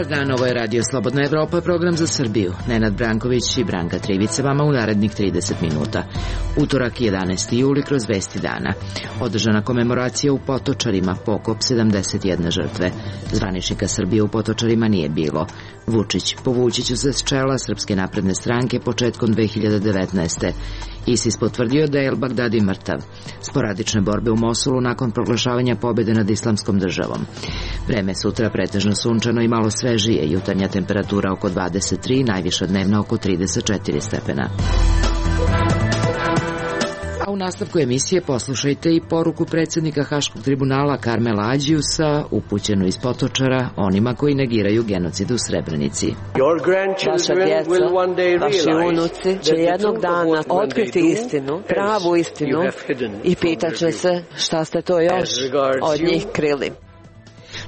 Dobar dan, ovo je Radio Slobodna Evropa, program za Srbiju. Nenad Branković i Branka Trivica vama u narednih 30 minuta. Utorak 11. juli kroz Vesti dana. Održana komemoracija u Potočarima, pokop 71 žrtve. Zvaničnika Srbije u Potočarima nije bilo. Vučić, povući ću se s čela Srpske napredne stranke početkom 2019. ISIS potvrdio da je El Bagdadi mrtav. Sporadične borbe u Mosulu nakon proglašavanja pobjede nad Islamskom državom. Vreme sutra pretežno sunčano i malo svežije, jutarnja temperatura oko 23, najviša dnevna oko 34 stepena. A u nastavku emisije poslušajte i poruku predsjednika Haškog tribunala Karmela Ađiusa, upućenu iz Potočara onima koji negiraju genocid u Srebrenici. Vaša djeca, vaši unuci će jednog dana otkriti istinu, pravu istinu i pitaće se šta ste to još od njih krili.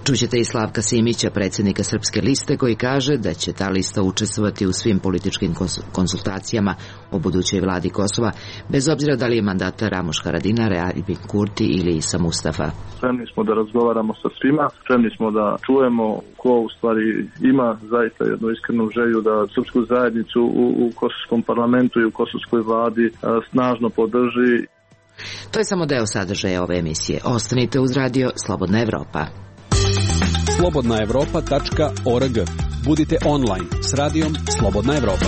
Čućete i Slavka Simića, predsjednika Srpske liste, koji kaže da će ta lista učestvovati u svim političkim konsultacijama o budućoj vladi Kosova, bez obzira da li je mandatar Ramuš Haradinaj, Albin Kurti ili Isa Mustafa. Spremni smo da razgovaramo sa svima, spremni smo da čujemo ko u stvari ima zaista jednu iskrenu želju da srpsku zajednicu u kosovskom parlamentu i u kosovskoj vladi snažno podrži. To je samo deo sadržaja ove emisije. Ostanite uz Radio Slobodna Evropa. slobodnaevropa.org. Budite online s radijom Slobodna Evropa.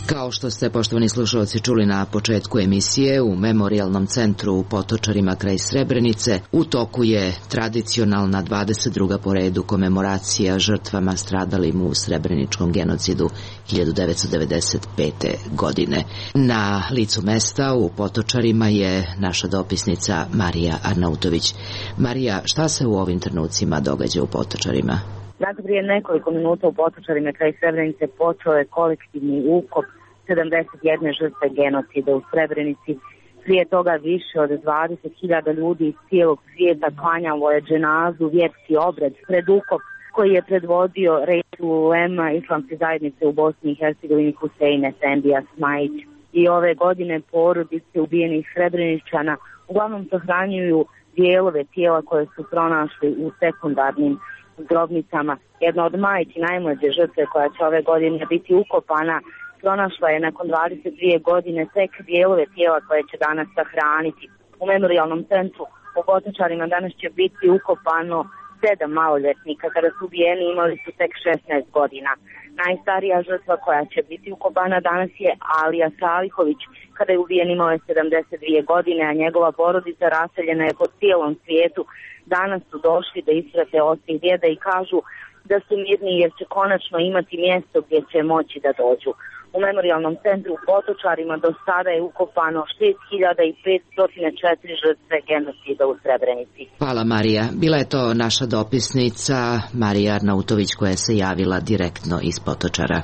Kao što ste, poštovani slušalci, čuli na početku emisije, u Memorijalnom centru u Potočarima kraj Srebrenice u toku je tradicionalna 22. po redu komemoracija žrtvama stradalim u srebreničkom genocidu 1995. godine. Na licu mesta u Potočarima je naša dopisnica Marija Arnautović. Marija, šta se u ovim trenucima događa u Potočarima? Dakle, prije nekoliko minuta u Potočarima kraj Srebrenice počeo je kolektivni ukop 71 žrtve genocida u Srebrenici. Prije toga više od 20.000 ljudi iz cijelog svijeta klanjalo je dženazu, vjerski obred pred ukop koji je predvodio Reisul Ulema Islamske zajednice u Bosni i Hercegovini Husein Efendija Smajić. I ove godine porodice ubijenih Srebreničana uglavnom sahranjuju dijelove tijela koje su pronašli u sekundarnim grobnicama. Jedna od majki najmlađe žrtve koja će ove godine biti ukopana pronašla je nakon 22 godine tek dijelove tijela koje će danas sahraniti. U Memorijalnom centru u Potočarima danas će biti ukopano 7 maloljetnika. Kada su ubijeni imali su tek 16 godina. Najstarija žrtva koja će biti ukopana danas je Alija Salihović. Kada je ubijen imao je 72 godine, a njegova porodica raseljena je po cijelom svijetu. Danas su došli da isprate oca i djeda i kažu da su mirni jer će konačno imati mjesto gdje će moći da dođu. U Memorijalnom centru u Potočarima do sada je ukopano 6504 žrtve genocida u Srebrenici. Hvala, Marija. Bila je to naša dopisnica Marija Arnautović koja se javila direktno iz Potočara.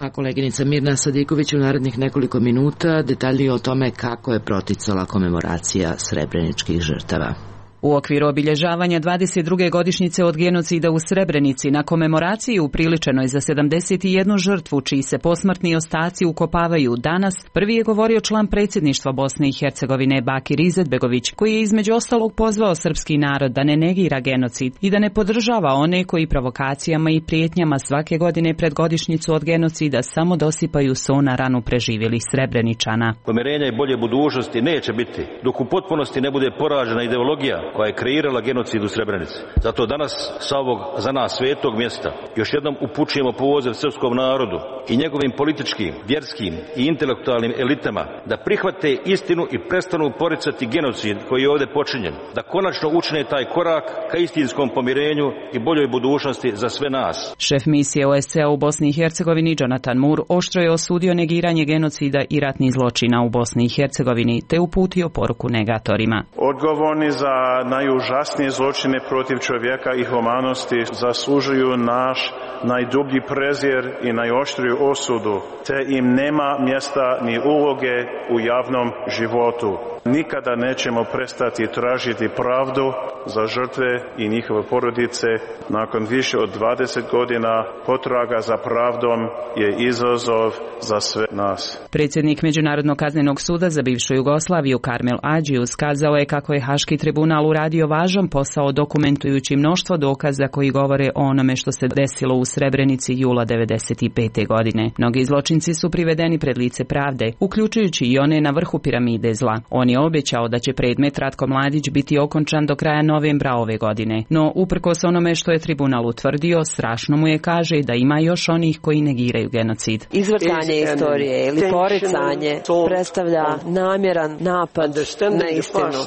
A koleginica Mirna Sadiković u narednih nekoliko minuta detaljnije o tome kako je proticala komemoracija srebreničkih žrtava. U okviru obilježavanja 22. godišnjice od genocida u Srebrenici na komemoraciji upriličenoj za 71 žrtvu čiji se posmrtni ostaci ukopavaju danas, prvi je govorio član predsjedništva Bosne i Hercegovine Bakir Izetbegović, koji je između ostalog pozvao srpski narod da ne negira genocid i da ne podržava one koji provokacijama i prijetnjama svake godine pred godišnjicu od genocida samo dosipaju so na ranu preživjelih Srebreničana. Pomirenja i bolje budućnosti neće biti dok u potpunosti ne bude poražena ideologija koja je kreirala genocid u Srebrenici. Zato danas sa ovog za nas svetog mjesta još jednom upućujemo poziv srpskom narodu i njegovim političkim, vjerskim i intelektualnim elitama da prihvate istinu i prestanu poricati genocid koji je ovdje počinjen. Da konačno učine taj korak ka istinskom pomirenju i boljoj budućnosti za sve nas. Šef misije OSCE u Bosni i Hercegovini Jonathan Moore oštro je osudio negiranje genocida i ratnih zločina u Bosni i Hercegovini te uputio poruku negatorima. Odgovorni za najužasnije zločine protiv čovjeka i humanosti zaslužuju naš najdublji prezir i najoštriju osudu, te im nema mjesta ni uloge u javnom životu. Nikada nećemo prestati tražiti pravdu za žrtve i njihove porodice. Nakon više od 20 godina potraga za pravdom je izazov za sve nas. Predsjednik Međunarodnog kaznenog suda za bivšu Jugoslaviju Karmel Adžius kazao je kako je Haški tribunal uradio važan posao dokumentujući mnoštvo dokaza koji govore o onome što se desilo u Srebrenici jula 1995. godine. Mnogi zločinci su privedeni pred lice pravde, uključujući i one na vrhu piramide zla. On je obećao da će predmet Ratko Mladić biti okončan do kraja novembra ove godine. No, uprkos onome što je tribunal utvrdio, strašno mu je, kaže, da ima još onih koji negiraju genocid. Izvrtanje istorije ili poricanje predstavlja namjeran napad na istinu.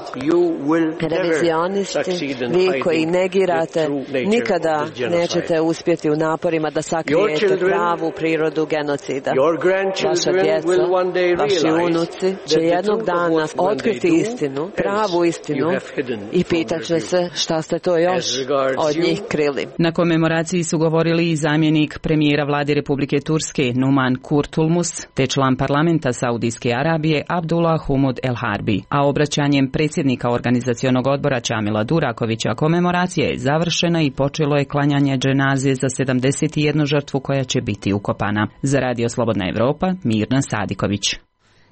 Revizionisti, vi koji negirate, nikada nećete uspjeti u naporima da sakrijete pravu prirodu genocida. Vaša djeca, vaši unuci će jednog dana otkriti istinu, pravu istinu i pitaće se šta ste to još od njih krili. Na komemoraciji su govorili i zamjenik premijera vlade Republike Turske Numan Kurtulmus, te član parlamenta Saudijske Arabije Abdullah Humud El Harbi. A obraćanjem predsjednika organizacionog odbora Čamila Durakovića komemoracija je završena i počelo je klanjanje dženaze za 71 žrtvu koja će biti ukopana. Za Radio Slobodna Evropa, Mirna Sadiković.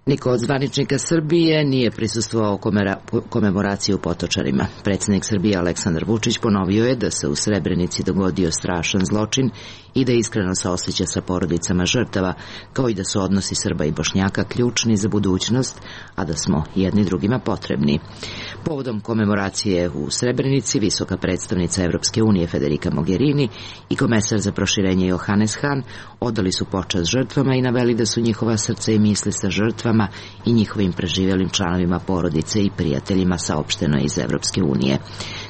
Niko od zvaničnika Srbije nije prisustvovao komemoraciji u Potočarima. Predsjednik Srbije Aleksandar Vučić ponovio je da se u Srebrenici dogodio strašan zločin i da iskreno saosjeća sa porodicama žrtava, kao i da su odnosi Srba i Bošnjaka ključni za budućnost, a da smo jedni drugima potrebni. Povodom komemoracije u Srebrenici, visoka predstavnica Evropske unije Federica Mogherini i komesar za proširenje Johannes Hahn odali su počast žrtvama i naveli da su njihova srca i misli sa žrtvama i njihovim preživjelim članovima porodice i prijateljima, saopšteno iz Evropske unije.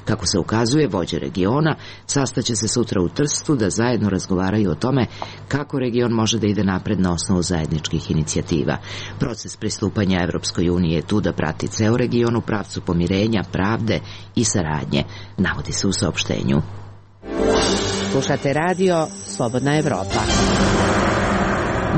Kako se ukazuje, vođe regiona sastaće se sutra u Trstu da zajedno razgovaraju o tome kako region može da ide napred na osnovu zajedničkih inicijativa. Proces pristupanja Evropskoj uniji je tu da prati ceo region u pravcu pomirenja, pravde i saradnje, navodi se u saopštenju. Slušate radio Slobodna Evropa.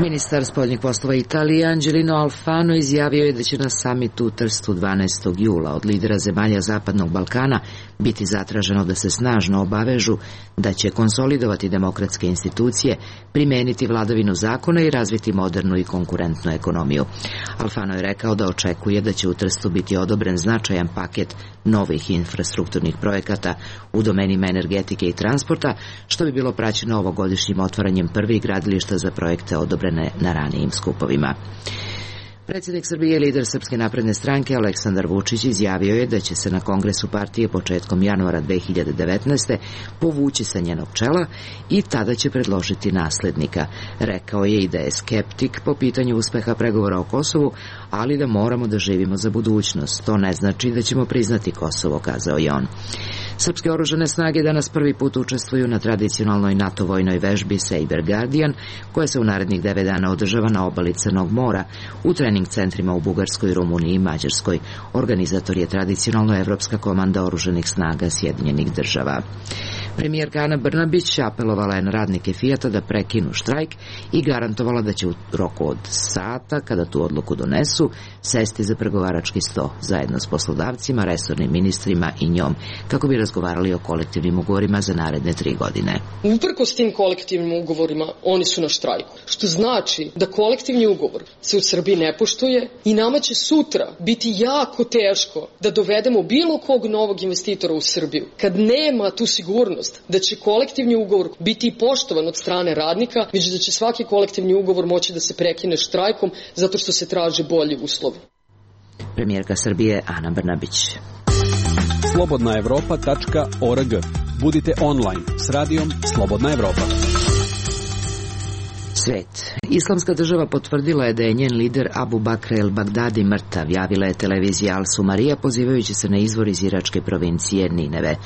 Ministar spoljnih poslova Italije Angelino Alfano izjavio je da će na samitu u Trstu 12. jula od lidera zemalja Zapadnog Balkana biti zatraženo da se snažno obavežu da će konsolidovati demokratske institucije, primeniti vladavinu zakona i razviti modernu i konkurentnu ekonomiju. Alfano je rekao da očekuje da će u Trstu biti odobren značajan paket novih infrastrukturnih projekata u domenima energetike i transporta, što bi bilo praćeno ovogodišnjim otvaranjem prvih gradilišta za projekte odobrene na ranijim skupovima. Predsjednik Srbije i lider Srpske napredne stranke Aleksandar Vučić izjavio je da će se na kongresu partije početkom januara 2019. povući sa njenog čela i tada će predložiti naslednika. Rekao je i da je skeptik po pitanju uspeha pregovora o Kosovu, ali da moramo da živimo za budućnost. To ne znači da ćemo priznati Kosovo, kazao je on. Srpske oružane snage danas prvi put učestvuju na tradicionalnoj NATO vojnoj vežbi Saber Guardian, koja se u narednih 9 dana održava na obali Crnog mora, u trening centrima u Bugarskoj, Rumuniji i Mađarskoj. Organizator je tradicionalno Evropska komanda oružanih snaga Sjedinjenih država. Premijerka Ana Brnabić apelovala je na radnike Fijata da prekinu štrajk i garantovala da će u roku od sata, kada tu odluku donesu, sesti za pregovarački sto zajedno s poslodavcima, resornim ministrima i njom, kako bi razgovarali o kolektivnim ugovorima za naredne 3 godine. Uprkos tim kolektivnim ugovorima, oni su na štrajku. Što znači da kolektivni ugovor se u Srbiji ne poštuje i nama će sutra biti jako teško da dovedemo bilo kog novog investitora u Srbiju. Kad nema tu sigurnost da će kolektivni ugovor biti poštovan od strane radnika, već da će svaki kolektivni ugovor moći da se prekine štrajkom zato što se traže bolji uslovi. Premijerka Srbije Ana Brnabić. slobodnaevropa.org. Budite online s radijom Slobodna Evropa. Svet. Islamska država potvrdila je da je njen lider Abu Bakr el-Bagdadi mrtav, javila je televizija Al-Sumarija pozivajući se na izvor iz iračke provincije Nineve.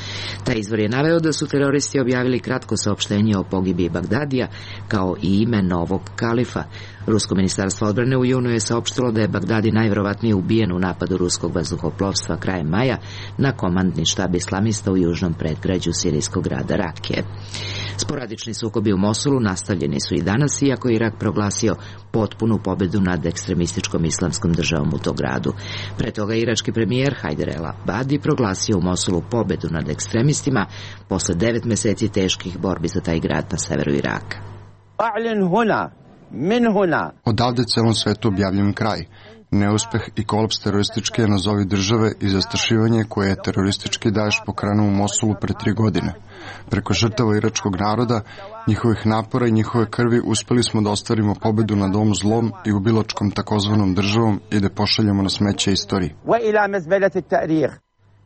Taj izvor je naveo da su teroristi objavili kratko saopštenje o pogibiji Bagdadija kao i ime novog kalifa. Rusko ministarstvo odbrane u junu je saopštilo da je Bagdadi najvjerovatnije ubijen u napadu ruskog vazduhoplovstva krajem maja na komandni štab islamista u južnom predgrađu sirijskog grada Rakije. Sporadični sukobi u Mosulu nastavljeni su i danas, iako je Irak proglasio potpunu pobedu nad ekstremističkom islamskom državom u tom gradu. Pre toga irački premijer Hajder El Abadi proglasio u Mosulu pobedu nad ekstremistima posle 9 meseci teških borbi za taj grad na severu Iraka. Odavde celom svetu objavljujem kraj. Neuspeh i kolaps terorističke nazovi države i zastrašivanje koje je teroristički Daeš pokrenuo u Mosulu pre 3 godine. Preko žrtava iračkog naroda, njihovih napora i njihove krvi uspeli smo da ostvarimo pobedu nad ovom zlom i ubilačkom takozvanom državom i da pošaljemo na smeće istoriji.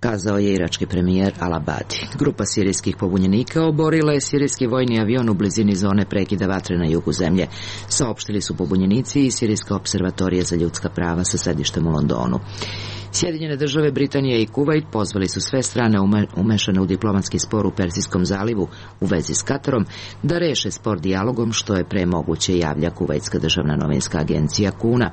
Kazao je irački premijer Al Abadi. Grupa sirijskih pobunjenika oborila je sirijski vojni avion u blizini zone prekida vatre na jugu zemlje. Saopštili su pobunjenici i Sirijska observatorija za ljudska prava sa sedištem u Londonu. Sjedinjene države, Britanija i Kuvajt pozvali su sve strane umešane u diplomatski spor u Persijskom zalivu u vezi s Katarom da reše spor dijalogom, što je pre moguće, javlja Kuvajtska državna novinska agencija KUNA.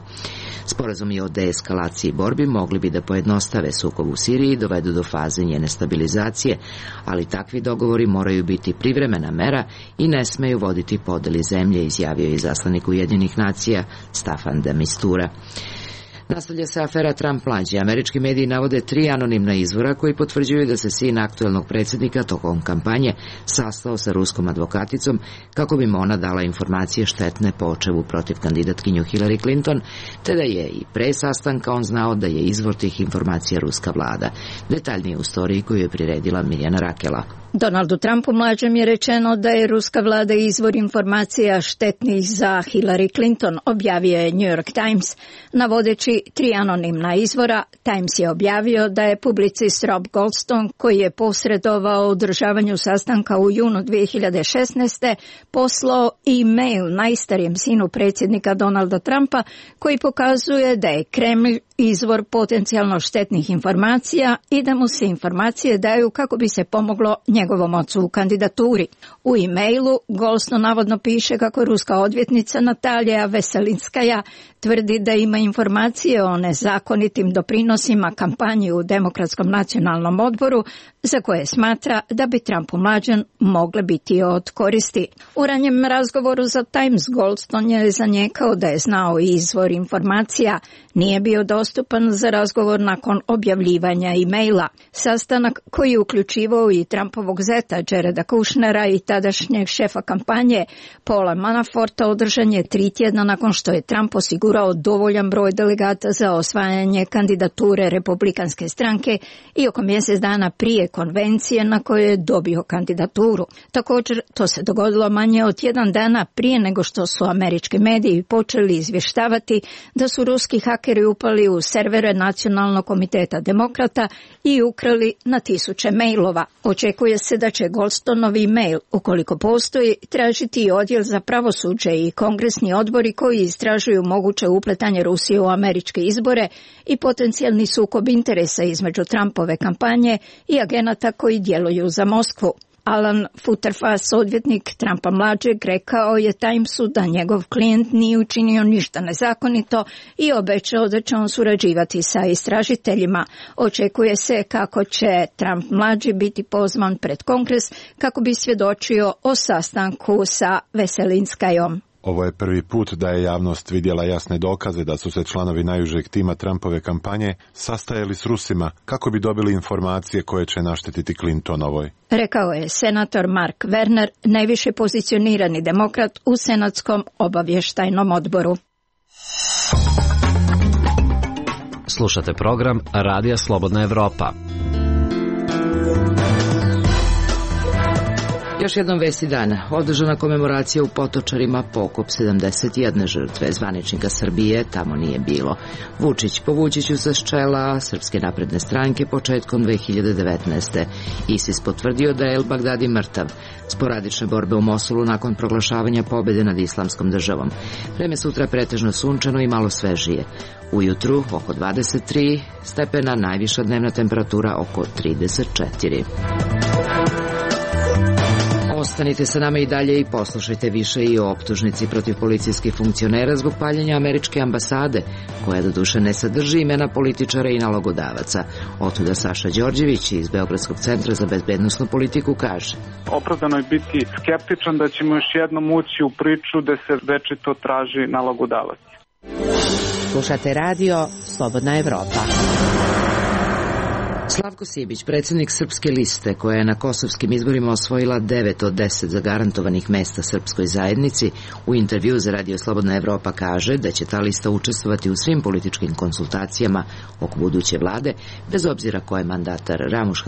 Sporazumi o deeskalaciji borbi mogli bi da pojednostave sukob u Siriji i dovedu do faze njene stabilizacije, ali takvi dogovori moraju biti privremena mera i ne smeju voditi podeli zemlje, izjavio je izaslanik Ujedinjenih nacija Staffan de Mistura. Nastavlja se afera Trump mlađi. Američki mediji navode 3 anonimna izvora koji potvrđuju da se sin aktuelnog predsjednika tokom kampanje sastao sa ruskom advokaticom kako bi mu ona dala informacije štetne po očevu protiv kandidatkinju Hillary Clinton, te da je i pre sastanka on znao da je izvor tih informacija ruska vlada. Detaljnije u storiji koju je priredila Mirjana Rakela. Donaldu Trumpu mlađem je rečeno da je ruska vlada izvor informacija štetnih za Hillary Clinton, objavio je New York Times. Navodeći 3 anonimna izvora, Times je objavio da je publicist Rob Goldstone, koji je posredovao u održavanju sastanka u junu 2016. poslao e-mail najstarijem sinu predsjednika Donalda Trumpa, koji pokazuje da je Kremlj izvor potencijalno štetnih informacija i da mu se informacije daju kako bi se pomoglo njegovom ocu u kandidaturi. U e-mailu Goldstone navodno piše kako ruska odvjetnica Natalija Veselinskaja tvrdi da ima informacije o nezakonitim doprinosima kampanji u Demokratskom nacionalnom odboru za koje smatra da bi Trumpu mlađen mogle biti od koristi. U ranjem razgovoru za Times Goldstone je zanijekao da je znao izvor informacija, nije bio dostupan za razgovor nakon objavljivanja e-maila. Sastanak koji je uključivao i Trumpovog zeta Jareda Kushnera i tadašnjeg šefa kampanje Paula Manaforta održan je 3 tjedna nakon što je Trump osigurao dovoljan broj delegata za osvajanje kandidature Republikanske stranke i oko mjesec dana prije konvencije na kojoj je dobio kandidaturu. Također, to se dogodilo manje od 1 dana prije nego što su američki mediji počeli izvještavati da su ruski hakeri upali u servere Nacionalnog komiteta demokrata i ukrali na 1000 mailova. Očekuje se da će Goldstoneovi mail, ukoliko postoji, tražiti i odjel za pravosuđe i kongresni odbori koji istražuju moguće upletanje Rusije u američke izbore i potencijalni sukob interesa između Trumpove kampanje i agenata koji djeluju za Moskvu. Alan Futterfass, odvjetnik Trumpa mlađeg, rekao je Timesu da njegov klijent nije učinio ništa nezakonito i obećao da će on surađivati sa istražiteljima. Očekuje se kako će Trump mlađi biti pozvan pred Kongres kako bi svjedočio o sastanku sa Veselinskajom. Ovo je prvi put da je javnost vidjela jasne dokaze da su se članovi najužeg tima Trumpove kampanje sastajali s Rusima kako bi dobili informacije koje će naštetiti Clintonovoj. Rekao je senator Mark Werner, najviše pozicionirani demokrat u Senatskom obavještajnom odboru. Slušate program Radija Slobodna Evropa. Još jednom vesti dana. Održana komemoracija u Potočarima, pokop 71 žrtve. Zvaničnika Srbije tamo nije bilo. Vučić, povući ću se s čela Srpske napredne stranke početkom 2019. ISIS potvrdio da je El Bagdadi mrtav. Sporadične borbe u Mosulu nakon proglašavanja pobjede nad islamskom državom. Vreme sutra pretežno sunčano i malo svežije. Ujutru oko 23 stepena, najviša dnevna temperatura oko 34. Ostanite sa nama i dalje i poslušajte više i o optužnici protiv policijskih funkcionera zbog paljenja američke ambasade, koja doduše ne sadrži imena političara i nalogodavaca. Otuda Saša Đorđević iz Beogradskog centra za bezbednosnu politiku kaže: Opravdano je biti skeptičan da ćemo još jednom ući u priču da se večito traži nalogodavac. Slušate radio Slobodna Evropa. Slavko Sibić, predsjednik Srpske liste, koja je na kosovskim izborima osvojila 9 od 10 zagarantovanih mesta srpskoj zajednici, u intervju za Radio Slobodna Evropa kaže da će ta lista učestvovati u svim političkim konsultacijama oko buduće vlade, bez obzira ko je mandatar, Ramuš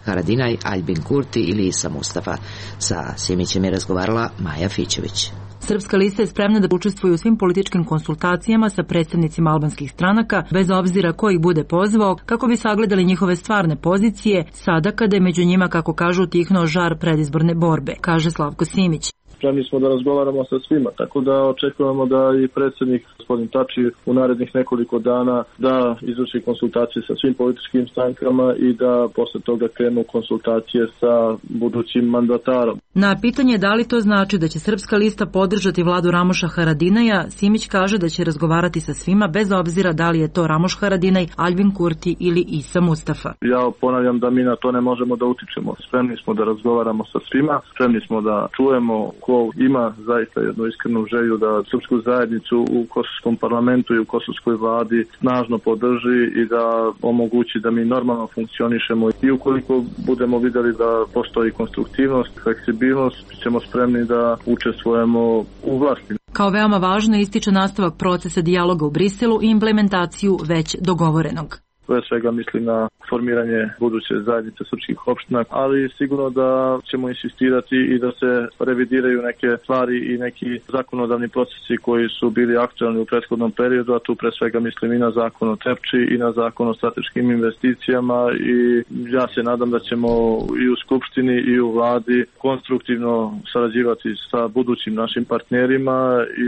Haradinaj, Aljbin Kurti ili Isa Mustafa. Sa Simićem je razgovarala Maja Fićević. Srpska lista je spremna da učestvuje u svim političkim konsultacijama sa predstavnicima albanskih stranaka, bez obzira ko ih bude pozvao, kako bi sagledali njihove stvarne pozicije, sada kada je među njima, kako kažu, utihnuo žar predizborne borbe, kaže Slavko Simić. Spremni smo da razgovaramo sa svima, tako da očekujemo da i predsjednik gospodin Tači u narednih nekoliko dana da izvrši konsultacije sa svim političkim strankama i da posle toga krenu konsultacije sa budućim mandatarom. Na pitanje da li to znači da će Srpska lista podržati vladu Ramuša Haradinaja, Simić kaže da će razgovarati sa svima, bez obzira da li je to Ramuš Haradinaj, Aljbin Kurti ili Isa Mustafa. Ja ponavljam da mi na to ne možemo da utičemo. Spremni smo da razgovaramo sa svima, spremni smo da čujemo ko ima zaista jednu iskrenu želju da srpsku zajednicu u kosovskom parlamentu i u kosovskoj vladi snažno podrži i da omogući da mi normalno funkcionišemo. I ukoliko budemo vidjeli da postoji konstruktivnost, fleksibilnost, ćemo spremni da učestvujemo u vlasti. Kao veoma važno ističe nastavak procesa dijaloga u Briselu i implementaciju već dogovorenog. Pre svega mislim na formiranje buduće zajednice srpskih opština, ali sigurno da ćemo insistirati i da se revidiraju neke stvari i neki zakonodavni procesi koji su bili aktualni u prethodnom periodu, a tu pre svega mislim i na zakon o Trepči i na zakon o strateškim investicijama i ja se nadam da ćemo i u Skupštini i u vladi konstruktivno sarađivati sa budućim našim partnerima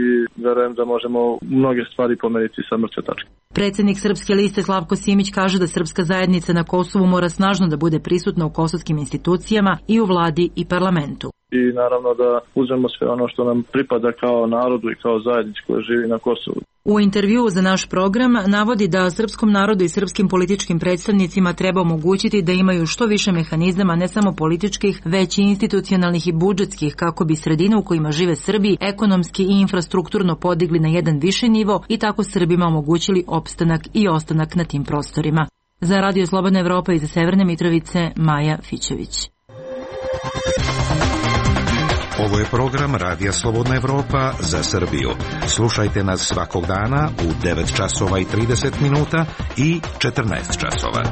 i verujem da možemo mnoge stvari pomeriti sa mrtve tačke. Predsjednik Srpske liste Slavko Simić kaže da srpska zajednica na Kosovu mora snažno da bude prisutna u kosovskim institucijama i u vladi i parlamentu. I naravno da uzmemo sve ono što nam pripada kao narodu i kao zajednici koja živi na Kosovu. U intervjuu za naš program navodi da srpskom narodu i srpskim političkim predstavnicima treba omogućiti da imaju što više mehanizama, ne samo političkih, već i institucionalnih i budžetskih, kako bi sredine u kojima žive Srbi ekonomski i infrastrukturno podigli na jedan viši nivo i tako Srbima omogućili opstanak i ostanak na tim prostorima. Za Radio Slobodna Evropa iz Severne Mitrovice, Maja Fićević. Ovo je program Radija Slobodna Evropa za Srbiju. Slušajte nas svakog dana u 9 časova i 30 minuta i 14 časova.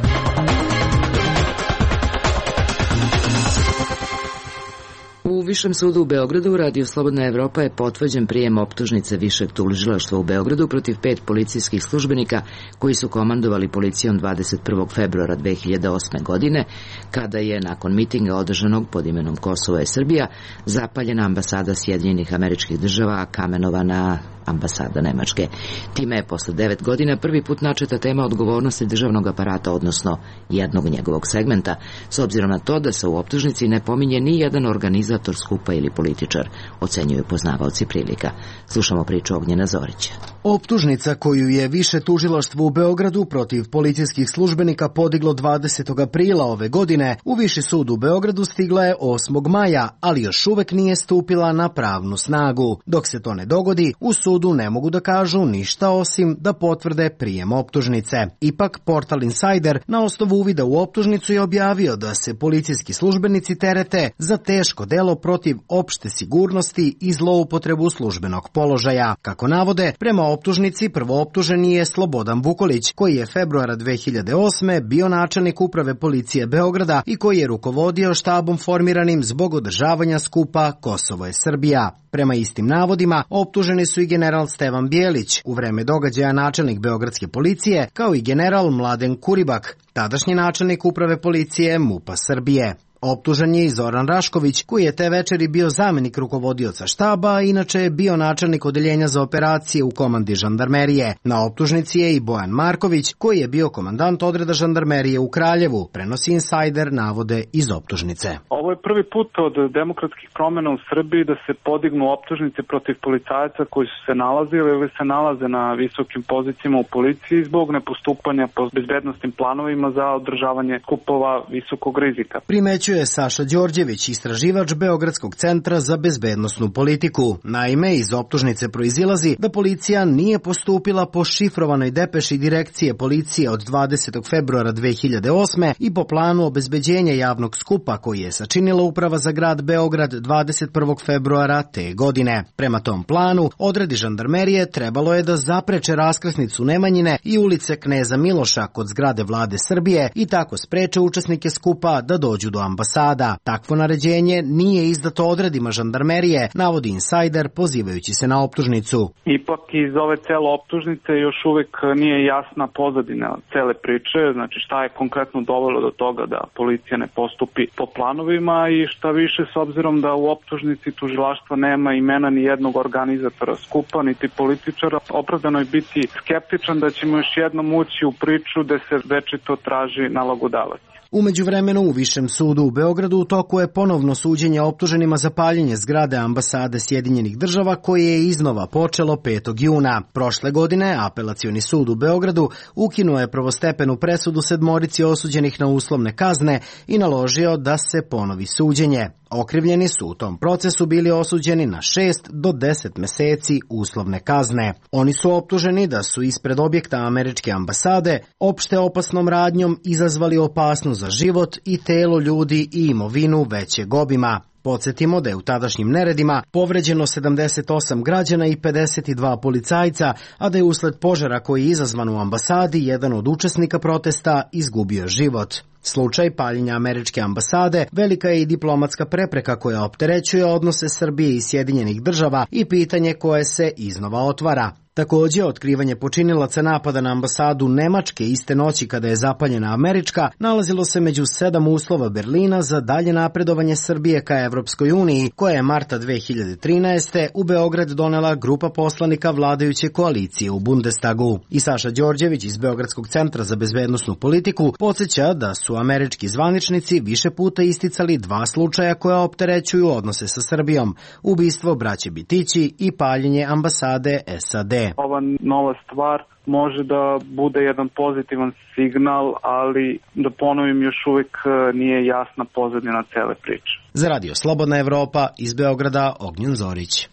U Višem sudu u Beogradu Radio Slobodna Evropa je potvrđen prijem optužnice Višeg tužilaštva u Beogradu protiv 5 policijskih službenika koji su komandovali policijom 21. februara 2008. godine, kada je nakon mitinga održanog pod imenom Kosovo je Srbija zapaljena ambasada Sjedinjenih Američkih Država, a kamenovana ambasada Nemačke. Time je posle 9 godina prvi put načeta tema odgovornosti državnog aparata, odnosno jednog njegovog segmenta, s obzirom na to da se u optužnici ne pominje ni jedan organizator skupa ili političar, ocenjuju poznavaoci prilika. Slušamo priču Ognjena Zorića. Optužnica koju je Više tužilaštvo u Beogradu protiv policijskih službenika podiglo 20. aprila ove godine u Viši sud u Beogradu stigla je 8. maja, ali još uvek nije stupila na pravnu snagu. Dok se to ne dogodi, u sudu ne mogu da kažu ništa osim da potvrde prijem optužnice. Ipak, portal Insider na osnovu uvida u optužnicu je objavio da se policijski službenici terete za teško delo protiv opšte sigurnosti i zloupotrebu službenog položaja. Kako navode, prema optužnici prvooptuženi je Slobodan Vukolić, koji je februara 2008. bio načelnik uprave policije Beograda i koji je rukovodio štabom formiranim zbog održavanja skupa Kosovo je Srbija. Prema istim navodima, optuženi su i general Stevan Bjelić, u vreme događaja načelnik Beogradske policije, kao i general Mladen Kuribak, tadašnji načelnik uprave policije MUP-a Srbije. Optužen je i Zoran Rašković, koji je te večeri bio zamenik rukovodioca štaba, a inače je bio načelnik odeljenja za operacije u komandi žandarmerije. Na optužnici je i Bojan Marković, koji je bio komandant odreda žandarmerije u Kraljevu, prenosi Insider navode iz optužnice. Ovo je prvi put od demokratskih promjena u Srbiji da se podignu optužnice protiv policajaca koji su se nalazili ili se nalaze na visokim pozicijama u policiji zbog nepostupanja po bezbednosnim planovima za održavanje skupova visokog rizika. Primećuje Saša Đorđević, istraživač Beogradskog centra za bezbednosnu politiku. Naime, iz optužnice proizilazi da policija nije postupila po šifrovanoj depeši direkcije policije od 20. februara 2008. i po planu obezbeđenja javnog skupa koji je sačinila Uprava za grad Beograd 21. februara te godine. Prema tom planu, odredi žandarmerije trebalo je da zapreče raskrsnicu Nemanjine i ulice Kneza Miloša kod zgrade Vlade Srbije i tako spreče učesnike skupa da dođu do ambasada. Takvo naređenje nije izdato odredima žandarmerije, navodi Insider pozivajući se na optužnicu. Ipak iz ove cele optužnice još uvek nije jasna pozadina cele priče, znači šta je konkretno dovelo do toga da policija ne postupi po planovima i šta više s obzirom da u optužnici tužilaštva nema imena ni jednog organizatora skupa, niti političara, opravdano je biti skeptičan da ćemo još jednom ući u priču da se večito traži nalogodavac. U međuvremenu u Višem sudu u Beogradu u toku je ponovno suđenje optuženima za paljenje zgrade ambasade Sjedinjenih država koje je iznova počelo 5. juna. Prošle godine Apelacioni sud u Beogradu ukinuo je prvostepenu presudu 7 osuđenih na uslovne kazne i naložio da se ponovi suđenje. Okrivljeni su u tom procesu bili osuđeni na 6 do 10 meseci uslovne kazne. Oni su optuženi da su ispred objekta američke ambasade opšte opasnom radnjom izazvali opasnost za život i telo ljudi i imovinu većeg obima. Podsjetimo da je u tadašnjim neredima povređeno 78 građana i 52 policajca, a da je usled požara koji je izazvan u ambasadi jedan od učesnika protesta izgubio život. Slučaj paljenja američke ambasade velika je i diplomatska prepreka koja opterećuje odnose Srbije i Sjedinjenih država i pitanje koje se iznova otvara. Također, otkrivanje počinilaca napada na ambasadu Nemačke iste noći kada je zapaljena američka nalazilo se među 7 uslova Berlina za dalje napredovanje Srbije ka Evropskoj uniji, koja je marta 2013. u Beograd donela grupa poslanika vladajuće koalicije u Bundestagu. I Saša Đorđević iz Beogradskog centra za bezbednosnu politiku podsjeća da su američki zvaničnici više puta isticali 2 slučaja koja opterećuju odnose sa Srbijom: ubistvo braće Bitići i paljenje ambasade SAD. Ova nova stvar može da bude jedan pozitivan signal, ali da ponovim, još uvijek nije jasna pozadina cele priče. Za Radio Slobodna Evropa iz Beograda, Ognjen Zorić.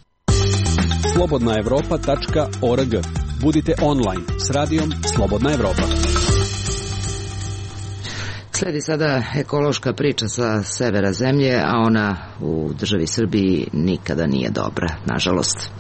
slobodnaevropa.org. Budite online s radijom Slobodna Evropa. Sledi sada ekološka priča sa severa zemlje, a ona u državi Srbiji nikada nije dobra, nažalost.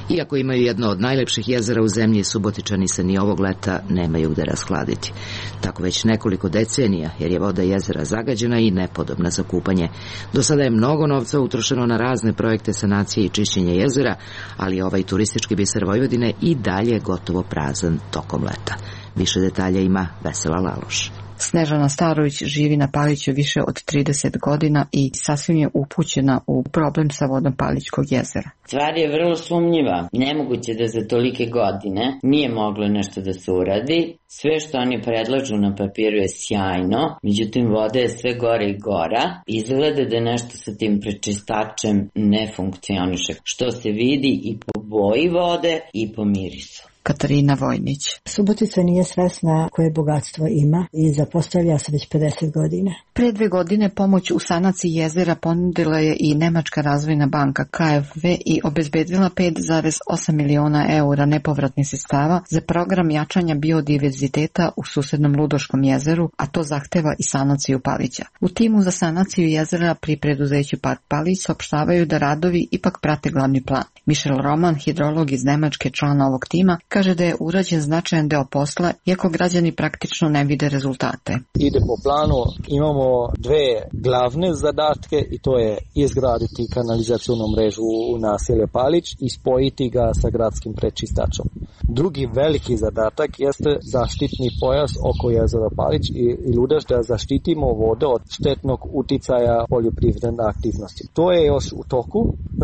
Iako imaju jedno od najlepših jezera u zemlji, Subotičani se ni ovog leta nemaju gde rashladiti. Tako već nekoliko decenija, jer je voda jezera zagađena i nepodobna za kupanje. Do sada je mnogo novca utrošeno na razne projekte sanacije i čišćenja jezera, ali ovaj turistički biser Vojvodine i dalje gotovo prazan tokom leta. Više detalja ima Vesela Laloš. Snežana Starović živi na Paliću više od 30 godina i sasvim je upućena u problem sa vodom Palićkog jezera. Stvar je vrlo sumnjiva. Nemoguće da za tolike godine nije moglo nešto da se uradi. Sve što oni predlažu na papiru je sjajno, međutim voda je sve gore i gora. Izgleda da nešto sa tim prečistačem ne funkcioniše, što se vidi i po boji vode i po mirisu. Katarina Vojnić. Subotica nije svesna koje bogatstvo ima i zapostavlja se već 50 godina. Pre 2 godine pomoć u sanaciji jezera ponudila je i Nemačka razvojna banka KfW i obezbedila 5,8 miliona eura nepovratnih sredstava za program jačanja biodiverziteta u susednom Ludoškom jezeru, a to zahteva i sanaciju Palića. U timu za sanaciju jezera pri preduzeću Park Palić saopštavaju da radovi ipak prate glavni plan. Michel Roman, hidrolog iz Nemačke, člana ovog tima, kaže da je urađen značajan deo posla, iako građani praktično ne vide rezultate. Ide po planu, imamo 2 glavne zadatke i to je izgraditi kanalizacionu mrežu u naselju Palić i spojiti ga sa gradskim prečistačom. Drugi veliki zadatak jeste zaštitni pojas oko jezera Palić i Ludaš, da zaštitimo vode od štetnog uticaja poljoprivredne aktivnosti. To je još u toku.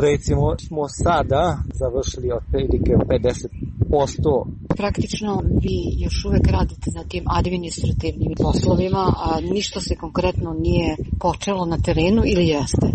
Recimo smo sada završili otprilike 50%. Praktično vi još uvek radite na tim administrativnim poslovima, a ništa se konkretno nije počelo na terenu ili jeste?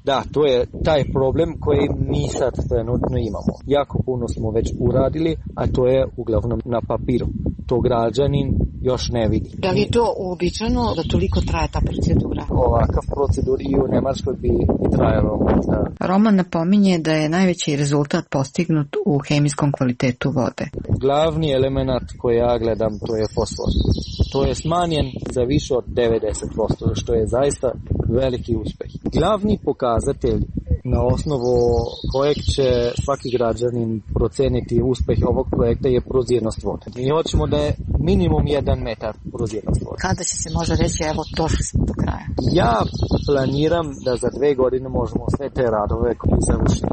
Da, to je taj problem koji mi sad trenutno imamo. Jako puno smo već uradili, a to je uglavnom na papiru. To građanin još ne vidi. Da li je to uobičajeno da toliko traje ta procedura? Ovakav procedur i u Nemačkoj bi trajalo možda. Roman napominje da je najveći rezultat postignut u hemijskom kvalitetu vode. Glavni element koji ja gledam to je fosfor. To je smanjen za više od 90%, što je zaista veliki uspeh. Glavni pokazatelj na osnovu kojeg će svaki građanin proceniti uspeh ovog projekta je prozirnost vode. Mi hoćemo da je minimum 1 metar prozirnost vode. Kada će se može reći, evo, došli smo do kraja? Ja planiram da za 2 godine možemo sve te radove završiti.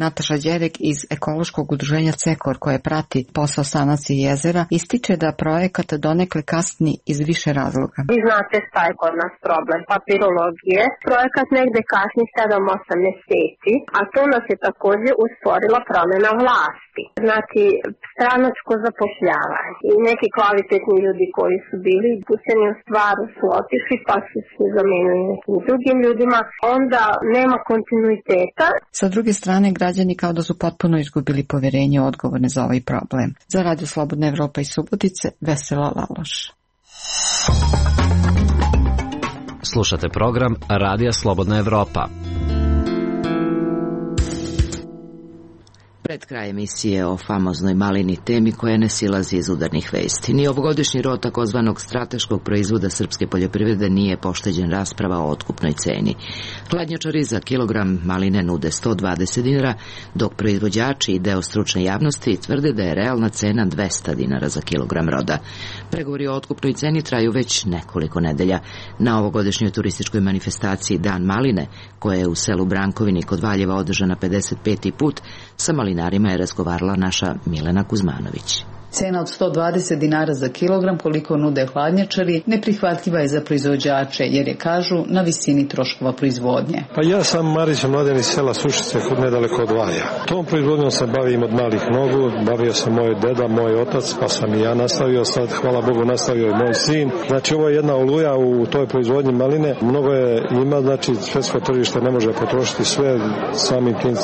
Nataša Đerek iz ekološkog udruženja CEKOR, koje prati posao sanacije jezera, ističe da projekat donekle kasni iz više razloga. Vi znate šta je kod nas problem papirologije. Projekat negde kasni 7-8 meseci, a to nas je takođe usporila promena vlasti. Znači, stranačko zapošljavanje i neki kvalitetni ljudi koji su bili pućeni u stvaru su otišli pa su se zamenili nekim drugim ljudima. Onda nema kontinuiteta. Sa druge strane, građani kao da su potpuno izgubili poverenje odgovorne za ovaj problem. Za Radio Slobodna Evropa iz Subotice, Vesela Laloš. Slušate program Radija Slobodna Evropa. Pred kraj emisije o famoznoj malini, temi koja ne silazi iz udarnih vesti. Ni ovogodišnji rod takozvanog strateškog proizvoda srpske poljoprivrede nije pošteđen rasprava o otkupnoj ceni. Hladnjačari za kilogram maline nude 120 dinara, dok proizvođači i deo stručne javnosti tvrde da je realna cena 200 dinara za kilogram roda. Pregovori o otkupnoj ceni traju već nekoliko nedelja. Na ovogodišnjoj turističkoj manifestaciji Dan maline, koja je u selu Brankovini kod Valjeva održana 55. put, sa malinarima je razgovarala naša Milena Kuzmanović. Cena od 120 dinara za kilogram, koliko nude hladnjačari, neprihvatljiva je za proizvođače, jer je, kažu, na visini troškova proizvodnje. Pa ja sam Marić Mladen iz sela Sušice, nedaleko od Valja. Tom proizvodnjom se bavim od malih nogu, bavio sam moj deda, moj otac, pa sam i ja nastavio, sad, hvala Bogu, nastavio i moj sin. Znači, ovo je jedna oluja u toj proizvodnji maline. Mnogo je ima, znači, svetsko tržište ne može potrošiti sve, samim tim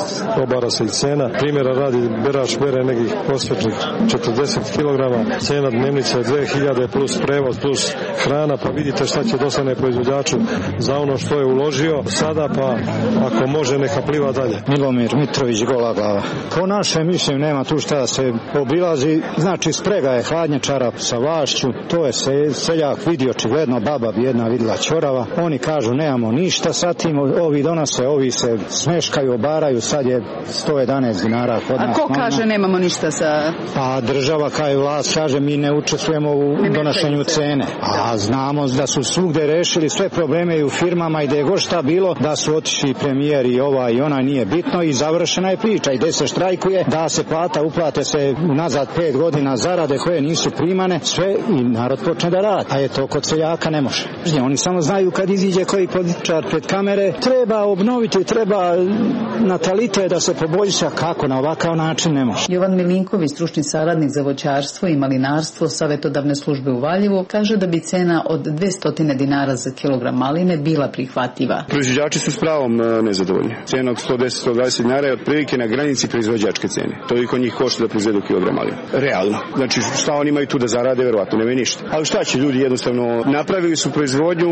obara se i cena. Primjera radi, berač bere nekih prosječnih 40 kilograma, cena dnevnice je 2000 plus prevoz plus hrana, pa vidite šta će dostane proizvođaču za ono što je uložio sada, pa ako može neka pliva dalje. Milomir Mitrović, Gola glava. Po našem mišljenju nema tu šta se obilazi, znači sprega je hladnjačara sa vlašću, to je seljak vidi očigledno, baba bi jedna vidjela ćorava, oni kažu nemamo ništa sa tim, ovi donose, ovi se smeškaju, obaraju, sad je 111 dinara kod nas. A ko kaže nemamo ništa sa... Pa država kao i vlast kaže mi ne učestvujemo u donošenju cene, a znamo da su svugde rešili sve probleme i u firmama i da je god šta bilo, da su otišli premijer i ova i ona, nije bitno i završena je priča i gde se štrajkuje, da se plata uplate se nazad 5 godina zarade koje nisu primane, sve i narod počne da radi, a je to kod seljaka ne može. Oni samo znaju kad iziđe koji političar pred kamere, treba obnoviti, treba natalitet da se poboljša, kako na ovakav način ne može. Jovan Milinković, stručni saradnik za voćarstvo i malinarstvo Savetodavne službe u Valjevu, kaže da bi cena od 200 dinara za kilogram maline bila prihvatljiva. Proizvođači su s pravom nezadovoljni. Cena od 110-120 dinara je otprilike na granici proizvođačke cene. Toliko njih košta da proizvedu kilogram maline. Realno. Znači šta oni imaju tu da zarade, verovatno nemaju ništa. Ali šta će ljudi, jednostavno napravili su proizvodnju,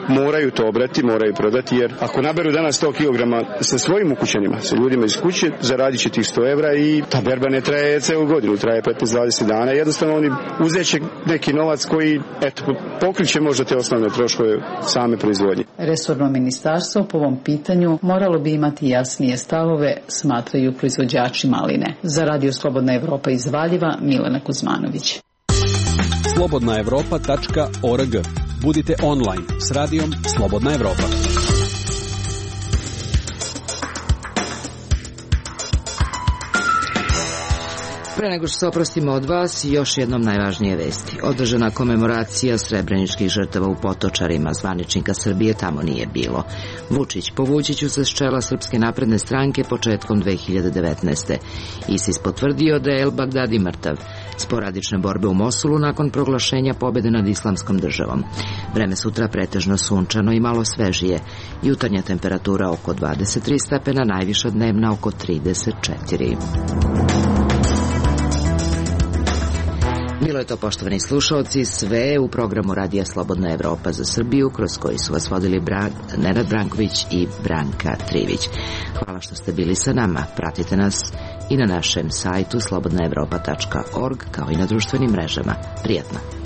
moraju to obrati, moraju prodati, jer ako naberu danas 100 kilograma sa svojim ukućanima, sa ljudima iz kuće, zaradit će tih 100 evra i ta berba ne traje celu godinu, traje 15-20 dana. Jednostavno oni uzeće neki novac koji, eto, pokriće možda te osnovne troškove same proizvodnje. Resorno ministarstvo po ovom pitanju moralo bi imati jasnije stavove, smatraju proizvođači maline. Za Radio Slobodna Evropa iz Valjeva, Milena Kuzmanović. slobodnaevropa.org. Budite online s radijom Slobodna Evropa. Pre nego što se oprostimo od vas, još jednom najvažnije vesti. Održana komemoracija srebreničkih žrtava u Potočarima, zvaničnika Srbije tamo nije bilo. Vučić po Vučiću se s čela Srpske napredne stranke početkom 2019. ISIS potvrdio da je El Bagdadi mrtav. Sporadične borbe u Mosulu nakon proglašenja pobjede nad Islamskom državom. Vreme sutra pretežno sunčano i malo svežije. Jutarnja temperatura oko 23 stepena, najviša dnevna oko 34. Bilo je to, poštovani slušalci, sve u programu Radija Slobodna Evropa za Srbiju, kroz koji su vas vodili Nenad Branković i Branka Trivić. Hvala što ste bili sa nama. Pratite nas i na našem sajtu slobodnaevropa.org, kao i na društvenim mrežama. Prijatno.